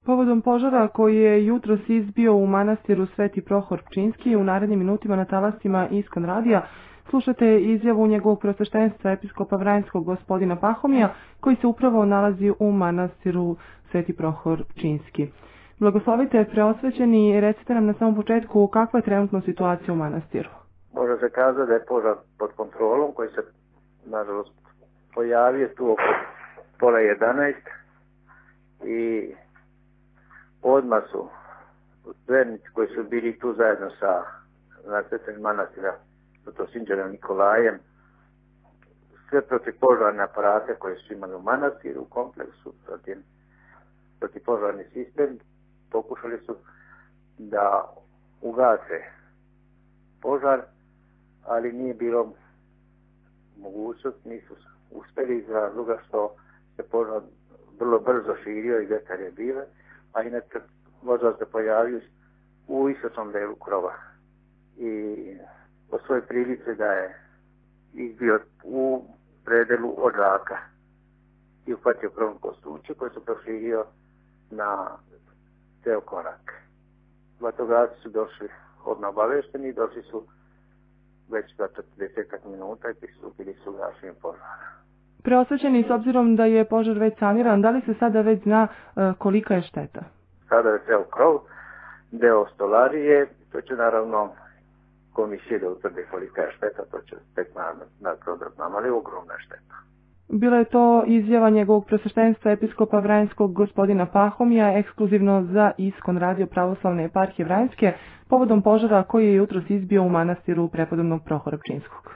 Povodom požara koji je jutros izbio u manastiru Sveti Prohor Pčinjski, u narednim minutima na talasima Iskon radija slušate izjavu njegovog preosveštenstva episkopa Vranjskog gospodina Pahomija, koji se upravo nalazi u manastiru Sveti Prohor Pčinjski. Blagoslovite preosvećeni i recite nam na samom početku kakva je trenutno situacija u manastiru. Može se kazati da je požar pod kontrolom koji se nažalost pojavio tu oko pola 11 i odmah su vernici koji su bili tu zajedno sa nasljedstvenim manastira Svetosvinđanom Nikolajem sve protivpožarne aparate koje su imali u manastiru, u kompleksu, protivpožarni sistem, pokušali su da ugase požar, ali nije bilo mogućnost, nisu uspjeli iz razloga što se požar vrlo brzo širio i vetar je bio, a inače požar se pojavio u istočnom delu krova i po svojoj prilici da je izbio u predelu odžaka i uhvatio krovno kostuće koje su proširio na ceo korak. Vatrogasci su došli odmah obavešteni, došli su već za 40 minuta i pristupili su gašenju požara. Preosvećeni, s obzirom da je požar već saniran, da li se sada već zna kolika je šteta? Sada je ceo krov, deo stolarije, to će naravno komisije da utvrde kolika je šteta, to će tek na krov da znam, ali ogromna šteta. Bila je to izjava njegovog preosveštenstva episkopa Vranjskog gospodina Pahomija, ekskluzivno za Iskon radio pravoslavne eparhije Vranjske, povodom požara koji je jutros izbio u manastiru prepodobnog Prohora Pčinjskog.